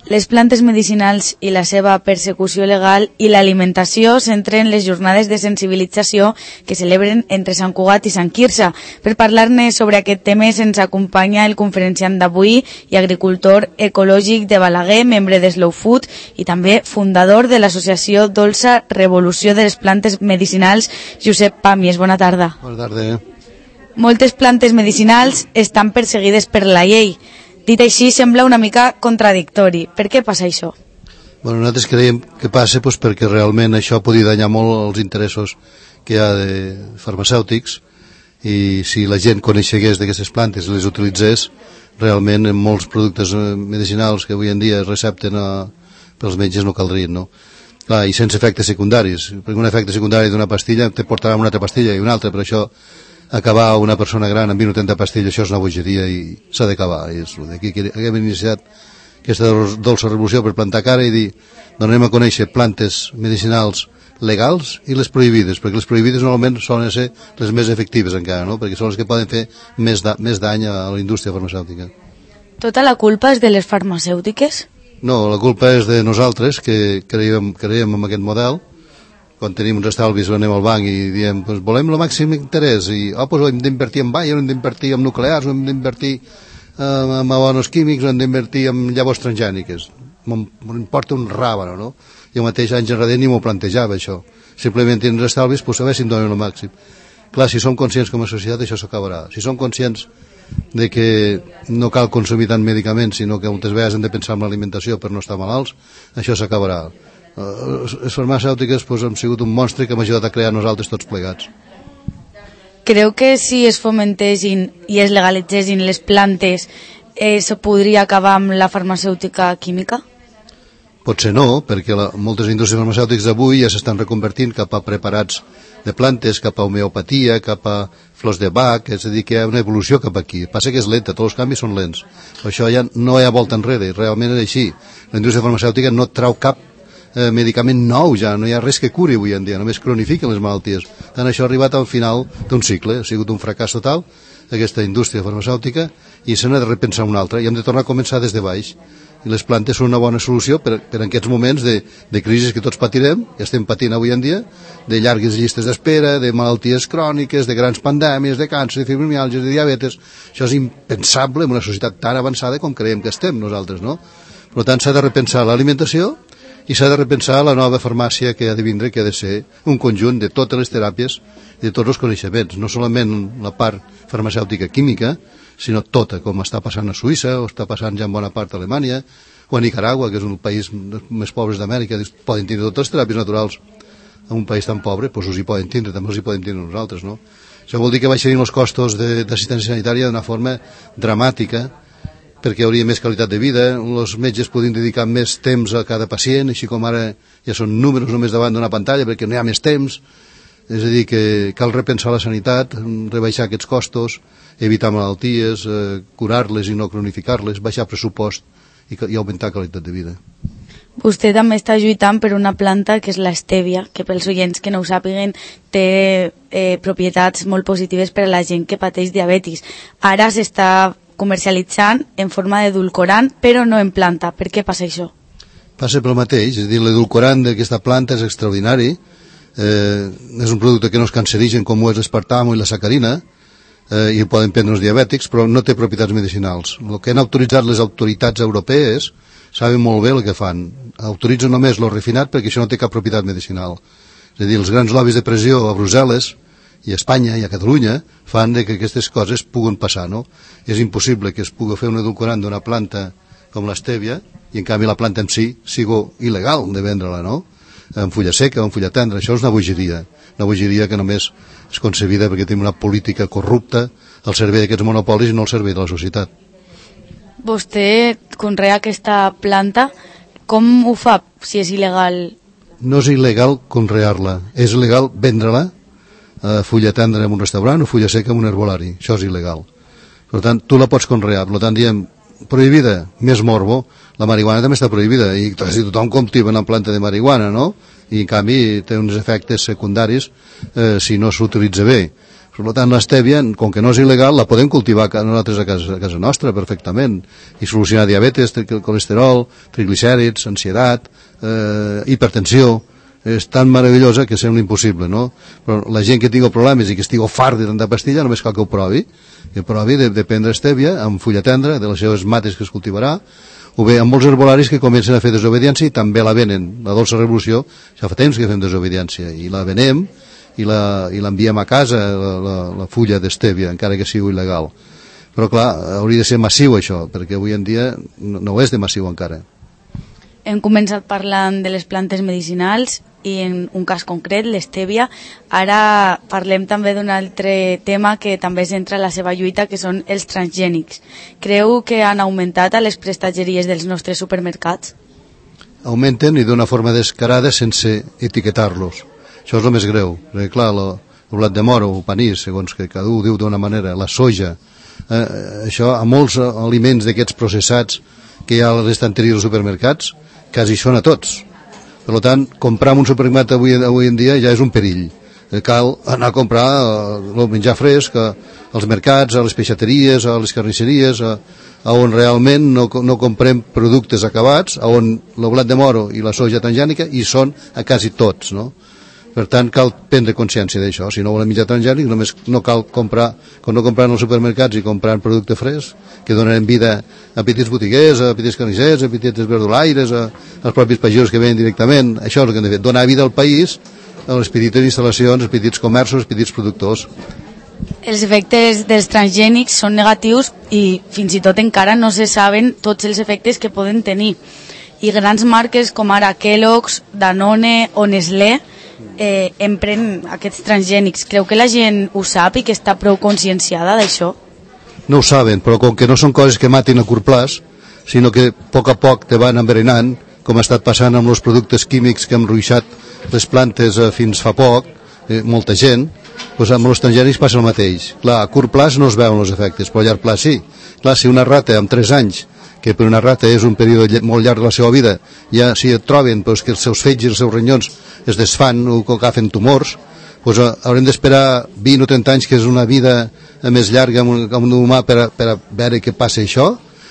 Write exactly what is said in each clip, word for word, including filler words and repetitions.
Les plantes medicinals i la seva persecució legal i l'alimentació centren les jornades de sensibilització que celebren entre Sant Cugat i Sant Quirze. Per parlar-ne sobre aquest tema se'ns acompanya el conferenciant d'avui i agricultor ecològic de Balaguer, membre de Slow Food i també fundador de l'associació Dolça Revolució de les Plantes Medicinals, Josep Pàmies. Bona tarda. Bona tarda. Moltes plantes medicinals estan perseguides per la llei. Dit així, sembla una mica contradictori. Per què passa això? Bueno, nosaltres creiem que passa doncs, perquè realment això podria danyar molt els interessos que hi ha de farmacèutics, i si la gent coneixegués d'aquestes plantes i les utilitzés, realment en molts productes medicinals que avui en dia es recepten a, pels metges no caldrien, no? Clar, i sense efectes secundaris, perquè un efecte secundari d'una pastilla te portarà una altra pastilla i una altra, per això acabar una persona gran amb vint o trenta pastilles, això és una bogeria i s'ha d'acabar. Aquí hem iniciat aquesta dolça revolució per plantar cara i dir, donem a conèixer plantes medicinals legals i les prohibides, perquè les prohibides normalment solen ser les més efectives encara, no? Perquè són les que poden fer més, da més dany a la indústria farmacèutica. Tota la culpa és de les farmacèutiques? No, la culpa és de nosaltres, que creiem, creiem en aquest model. Quan tenim uns estalvis anem al banc i diem, pues, volem el màxim interès i oh, pues, hem d'invertir en baia, hem d'invertir en nuclears, hem d'invertir eh, en abonos químics, hem d'invertir en llavors transgèniques. M'importa un ràbano, no? Jo mateix anys enrere ni m'ho plantejava això. Simplement tenen estalvis, pues, a veure si em donen el màxim. Clar, si som conscients com a societat això s'acabarà. Si som conscients de que no cal consumir tant medicaments, sinó que moltes vegades hem de pensar en l'alimentació per no estar malalts, això s'acabarà. Les farmacèutiques pues, han sigut un monstre que hem ajudat a crear nosaltres tots plegats. Creu que si es fomentessin i es legalitzessin les plantes eh, se podria acabar amb la farmacèutica química? Potser no, perquè la, moltes indústries farmacèutiques d'avui ja s'estan reconvertint cap a preparats de plantes, cap a homeopatia, cap a flors de Bach, és a dir, que hi ha una evolució cap aquí. Passa que és lenta, tots els canvis són lents. Per això ja no hi ha volta enrere, realment és així. La indústria farmacèutica no trau cap Eh, medicament nou ja, no hi ha res que curi avui en dia, només cronifiquen les malalties. Tant això ha arribat al final d'un cicle, ha sigut un fracàs total aquesta indústria farmacèutica i se n'ha de repensar una altra i hem de tornar a començar des de baix, i les plantes són una bona solució per, per en aquests moments de, de crisis que tots patirem, que estem patint avui en dia, de llargues llistes d'espera, de malalties cròniques, de grans pandèmies, de càncer, de fibromiàlgia, de diabetes. Això és impensable en una societat tan avançada com creiem que estem nosaltres, no? Per tant, s'ha de repensar l'alimentació i s'ha de repensar la nova farmàcia que ha de vindre, que ha de ser un conjunt de totes les teràpies i de tots els coneixements, no solament la part farmacèutica química, sinó tota, com està passant a Suïssa, o està passant ja en bona part a Alemanya, o a Nicaragua, que és un país més pobres d'Amèrica, poden tindre totes les teràpies naturals. En un país tan pobre, doncs us hi poden tindre, també us hi poden tindre nosaltres, no? Això vol dir que baixarin els costos d'assistència sanitària d'una forma dramàtica, perquè hi hauria més qualitat de vida, els metges podrien dedicar més temps a cada pacient, així com ara ja són números només davant d'una pantalla perquè no hi ha més temps. És a dir, que cal repensar la sanitat, rebaixar aquests costos, evitar malalties, eh, curar-les i no cronificar-les, baixar pressupost i, i augmentar qualitat de vida. Vostè també està lluitant per una planta que és l'estèvia, que pels oients que no ho sàpiguen té eh, propietats molt positives per a la gent que pateix diabetis. Ara s'està comercialitzant en forma d'edulcorant, però no en planta. Per què passa això? Passa pel mateix, és a dir, l'edulcorant d'aquesta planta és extraordinari, eh, és un producte que no és cancerigen com ho és l'espartamo i la sacarina, eh, i el poden prendre els diabètics, però no té propietats medicinals. El que han autoritzat les autoritats europees saben molt bé el que fan. Autoritzen només lo refinat perquè això no té cap propietat medicinal. És a dir, els grans lobbies de pressió a Brussel·les i a Espanya i a Catalunya fan de que aquestes coses puguen passar, no? És impossible que es pugui fer un edulcorant d'una planta com l'estèvia i en canvi la planta en si sigui il·legal de vendre-la, no? En fulla seca o en fulla tendra. Això és una bogeria, una bogeria que només és concebida perquè tenim una política corrupta al servei d'aquests monopolis i no al servei de la societat. Vostè conrea aquesta planta, com ho fa si és il·legal? No és il·legal conrear-la, és il·legal vendre-la, eh, fulla tendra en un restaurant o fulla seca en un herbolari. Això és il·legal. Per tant, tu la pots conrear. Per tant, diem, prohibida, més morbo. La marihuana també està prohibida i si tothom cultiva una planta de marihuana, no? I en canvi té uns efectes secundaris eh, si no s'utilitza bé. Per tant, l'estèvia, com que no és il·legal, la podem cultivar nosaltres a casa, a casa nostra perfectament i solucionar diabetes, colesterol, triglicèrids, ansietat, eh, hipertensió. És tan meravellosa que sembla impossible, no? Però la gent que tingui problemes i que estigui fart de tanta pastilla només cal que ho provi, que provi de, de prendre estèvia amb fulla tendra, de les seves mates que es cultivarà, o bé amb molts herbolaris que comencen a fer desobediència i també la venen. La dolça revolució, ja fa temps que fem desobediència i la venem i l'enviem a casa, la, la, la fulla d'estèvia, encara que sigui il·legal. Però clar, hauria de ser massiu això, perquè avui en dia no, no és de massiu encara. Hem començat parlant de les plantes medicinals i en un cas concret, l'estèvia. Ara parlem també d'un altre tema que també centra la seva lluita, que són els transgènics. Creu que han augmentat a les prestatgeries dels nostres supermercats? Augmenten i d'una forma descarada sense etiquetar-los. Això és el més greu, perquè clar, el blat de moro, el panís, segons que cada un diu d'una manera, la soja, eh, això a molts aliments d'aquests processats que hi ha a les estanteries dels supermercats, quasi són a tots. Per tant, comprar en un supermercat avui, avui en dia ja és un perill. Cal anar a comprar el menjar fresc als mercats, a les peixateries, a les carnisseries, a, a on realment no, no comprem productes acabats, a on el blat de moro i la soja transgènica hi són a quasi tots, no? Per tant, cal prendre consciència d'això. Si no volem menjar transgènic, només no cal comprar, com no comprar en els supermercats i comprar en producte fresc, que donen vida a petits botiguers, a petits carnissers, a petits verdolaires, a, als propis pagesos que venen directament. Això és el que hem de fer, donar vida al país, a les petites instal·lacions, als petits comerços, als petits productors. Els efectes dels transgènics són negatius i fins i tot encara no se saben tots els efectes que poden tenir. I grans marques com ara Kellogg's, Danone o Nestlé eh, empren aquests transgènics. Creu que la gent ho sap i que està prou conscienciada d'això? No ho saben, però com que no són coses que matin a curt plaç, sinó que a poc a poc te van enverenant, com ha estat passant amb els productes químics que han ruixat les plantes eh, fins fa poc, eh, molta gent, doncs amb els transgènics passa el mateix. Clar, a curt plaç no es veuen els efectes, però a llarg plaç sí. Clar, si una rata amb tres anys, que per una rata és un període molt llarg de la seva vida, ja si et troben doncs, que els seus fetges i els seus ronyons es desfan o que agafen tumors, doncs haurem d'esperar vint o trenta anys, que és una vida més llarga amb un, amb un humà per a, per a veure què passa això.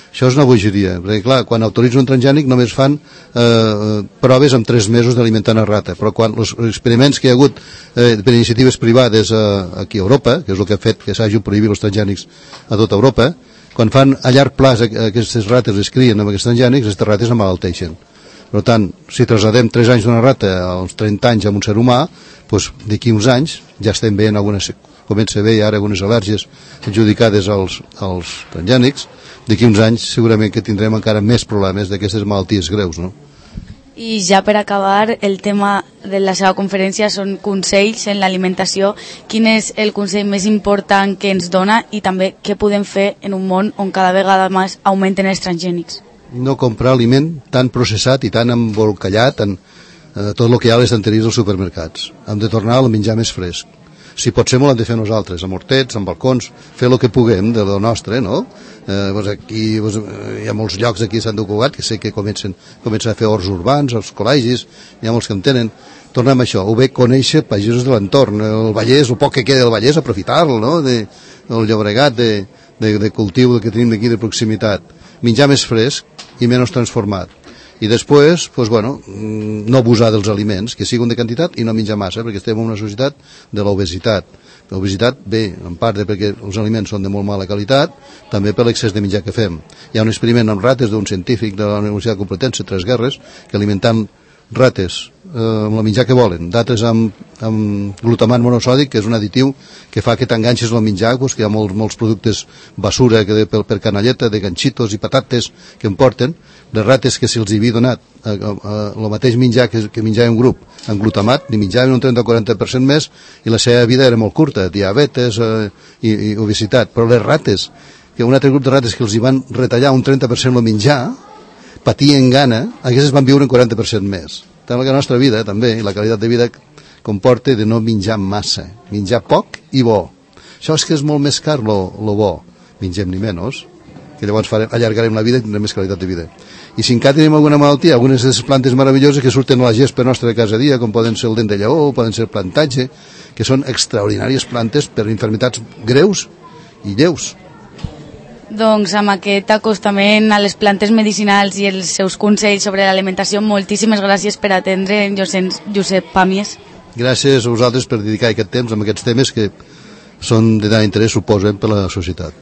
Això és una bogeria, perquè clar, quan autoritzen un transgènic només fan eh, proves amb tres mesos d'alimentar una rata, però quan els experiments que hi ha hagut eh, per iniciatives privades eh, aquí a Europa, que és el que ha fet que s'hagi prohibit els transgènics a tota Europa, quan fan a llarg plaç aquestes rates es crien amb aquests transgènics, aquestes rates emmalalteixen. Per tant, si trasladem tres anys d'una rata als trenta anys amb un ser humà, doncs d'aquí uns anys ja estem veient algunes, comença a veure ara algunes al·lèrgies adjudicades als, als transgènics. D'aquí uns anys segurament que tindrem encara més problemes d'aquestes malalties greus, no? I ja per acabar, el tema de la seva conferència són consells en l'alimentació. Quin és el consell més important que ens dona i també què podem fer en un món on cada vegada més augmenten els transgènics? No comprar aliment tan processat i tan embolcallat en eh, tot el que hi ha a les estanteries dels supermercats. Hem de tornar al menjar més fresc. Si pot ser, molt hem de fer nosaltres, amb hortets, amb balcons, fer el que puguem de lo nostre, no? Eh, doncs aquí doncs, hi ha molts llocs aquí a Sant Cugat que sé que comencen, comencen a fer horts urbans, els col·legis, hi ha molts que en tenen. Tornem a això, o bé conèixer pagesos de l'entorn, el Vallès, el poc que queda del Vallès, aprofitar-lo, no? De, el Llobregat de, de, de cultiu que tenim d'aquí de proximitat. Menjar més fresc i menys transformat. I després, doncs, bueno, no abusar dels aliments, que siguin de quantitat i no menjar massa, perquè estem en una societat de l'obesitat. L'obesitat ve, en part, de perquè els aliments són de molt mala qualitat, també per l'excés de menjar que fem. Hi ha un experiment amb rates d'un científic de la Universitat Complutense, Tres Guerres, que alimentant rates eh, amb el menjar que volen, d'altres amb, amb glutamat monosòdic, que és un additiu que fa que t'enganxes el menjar, doncs, que hi ha molts, molts productes basura que de, per, per canalleta, de ganxitos i patates que em porten. Les rates que si els havia donat eh, eh, el mateix menjar que, que menjava un grup amb glutamat, ni menjaven un trenta o quaranta per cent més i la seva vida era molt curta, diabetes eh, i, i obesitat. Però les rates, que un altre grup de rates que els hi van retallar un trenta per cent el menjar, patien gana, aquestes van viure un quaranta per cent més. Tant que la nostra vida, també, i la qualitat de vida comporta de no menjar massa, menjar poc i bo. Això és que és molt més car lo, lo bo, mengem ni menys, que llavors farem, allargarem la vida i tindrem més qualitat de vida. I si encara tenim alguna malaltia, algunes de les plantes meravelloses que surten a la gespa nostra de casa dia, com poden ser el dent de lleó, poden ser el plantatge, que són extraordinàries plantes per infermitats greus i lleus. Doncs amb aquest acostament a les plantes medicinals i els seus consells sobre l'alimentació, moltíssimes gràcies per atendre Josep Pàmies. Gràcies a vosaltres per dedicar aquest temps a aquests temes que són de tant interès, suposen, per a la societat.